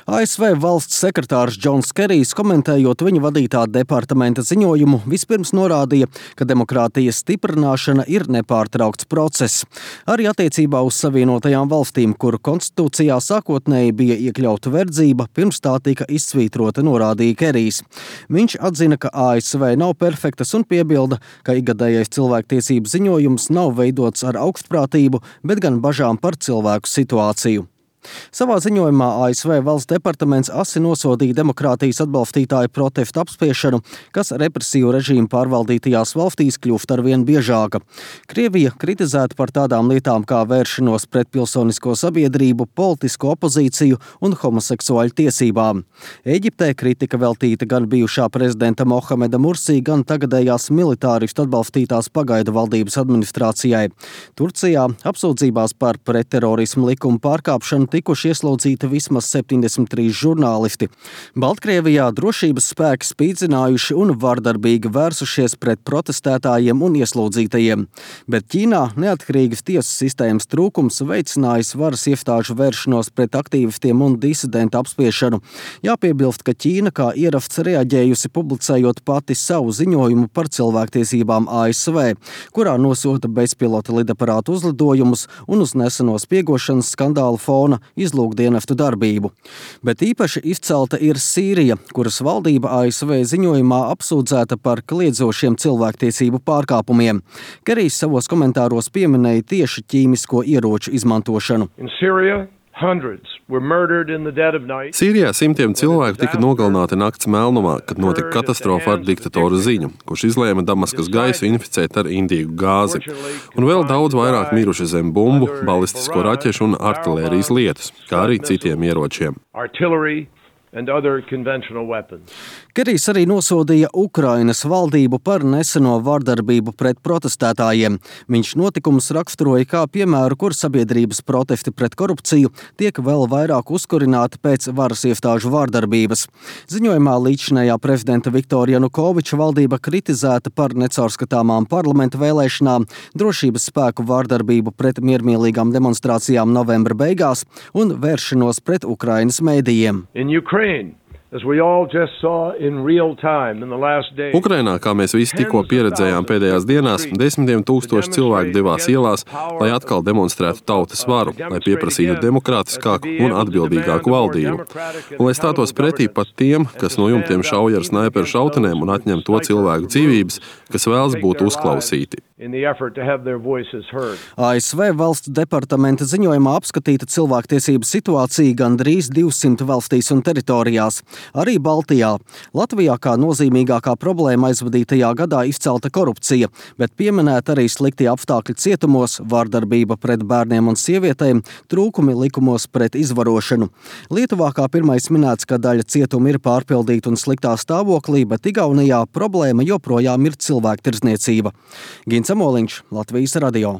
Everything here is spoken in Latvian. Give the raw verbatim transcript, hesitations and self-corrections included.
A S V valsts sekretārs Džons Kerijs, komentējot viņa vadītā departamenta ziņojumu, vispirms norādīja, ka demokrātijas stiprināšana ir nepārtraukts process. Arī attiecībā uz Savienotajām valstīm, kuru konstitūcijā sākotnēji bija iekļauta verdzība, pirms tā tika izsvītrota, norādīja Kerijs. Viņš atzina, ka A S V nav perfektas un piebilda, ka ikgadējais cilvēktiesību ziņojums nav veidots ar augstprātību, bet gan bažām par cilvēku situāciju. Savā ziņojumā A S V valsts departaments asi nosodīja demokrātijas atbalstītāju protestu apspiešanu, kas represīvu režīmu pārvaldītajās valstīs kļūst arvien biežāka. Krievija kritizēta par tādām lietām kā vēršanos pret pilsonisko sabiedrību, politisko opozīciju un homoseksuāļu tiesībām. Eģiptē kritika veltīta gan bijušā prezidenta Mohameda Mursī, gan tagadējās militāristu atbalstītās pagaidu valdības administrācijai. Turcijā apsūdzībās par pretterorismu likumu pārkāpšanu tikuši ieslodzīti vismaz septiņdesmit trīs žurnālisti. Baltkrievijā drošības spēki spīdzinājuši un vardarbīgi vērsušies pret protestētājiem un ieslodzītajiem. Bet Ķīnā neatkarīgas tiesu sistēmas trūkums veicinājis varas iestāžu vēršanos pret aktīvistiem un disidentu apspiešanu. Jāpiebilst, ka Ķīna kā ieraksts reaģējusi publicējot pati savu ziņojumu par cilvēktiesībām A S V, kurā nosota bezpilota lidaparātu uzlidojumus un uz neseno spiegošanas skandālu fona izlūkdienestu darbību. Bet īpaši izcelta ir Sīrija, kuras valdība A S V ziņojumā apsūdzēta par kliedzošiem cilvēktiesību pārkāpumiem. Kerijs savos komentāros pieminēja tieši ķīmisko ieroču izmantošanu. Sīrijā simtiem cilvēku tika nogalināti nakts melnumā, kad notika katastrofa ar diktatora Ziņu, kurš izlēma Damaskas gaisu inficēt ar indīgu gāzi. Un vēl daudz vairāk miruši zem bumbu, balistisko raķešu un artilērijas lietus, kā arī citiem ieročiem. Kerijs arī nosodīja Ukrainas valdību par neseno vardarbību pret protestētājiem. Viņš notikumus raksturoja kā piemēru, kur sabiedrības protesti pret korupciju tiek vēl vairāk uzkurināti pēc varas iestāžu vardarbības. Ziņojumā līdzinējā prezidenta Viktora Janukoviča valdība kritizēta par necaurskatāmām parlamenta vēlēšanām, drošības spēku vardarbību pret miermīlīgām demonstrācijām novembra beigās un vēršanos pret Ukrainas mēdījiem. Ukrainā, kā mēs visi tikko pieredzējām pēdējās dienās, desmitiem tūkstoši cilvēku devās ielās, lai atkal demonstrētu tautas varu, lai pieprasītu demokrātiskāku un atbildīgāku valdību. Un lai stātos pretī pat tiem, kas no jumtiem šauj ar snaiperu šautenēm un atņem to cilvēku dzīvības, kas vēlas būt uzklausīti. A S V valsts departamenta ziņojumā apskatīta cilvēktiesību situācija gandrīz divsimt valstīs un teritorijās. Arī Baltijā. Latvijā kā nozīmīgākā problēma aizvadītajā gadā izcelta korupcija, bet pieminēta arī sliktie apstākļi cietumos, vardarbība pret bērniem un sievietēm, trūkumi likumos pret izvarošanu. Lietuvā kā pirmais minēts, ka daļa cietumi ir pārpildīti un sliktā stāvoklī, bet Igaunijā problēma joprojām ir cilvēktirdzniecība. Gins Amoliņš, Latvijas radio.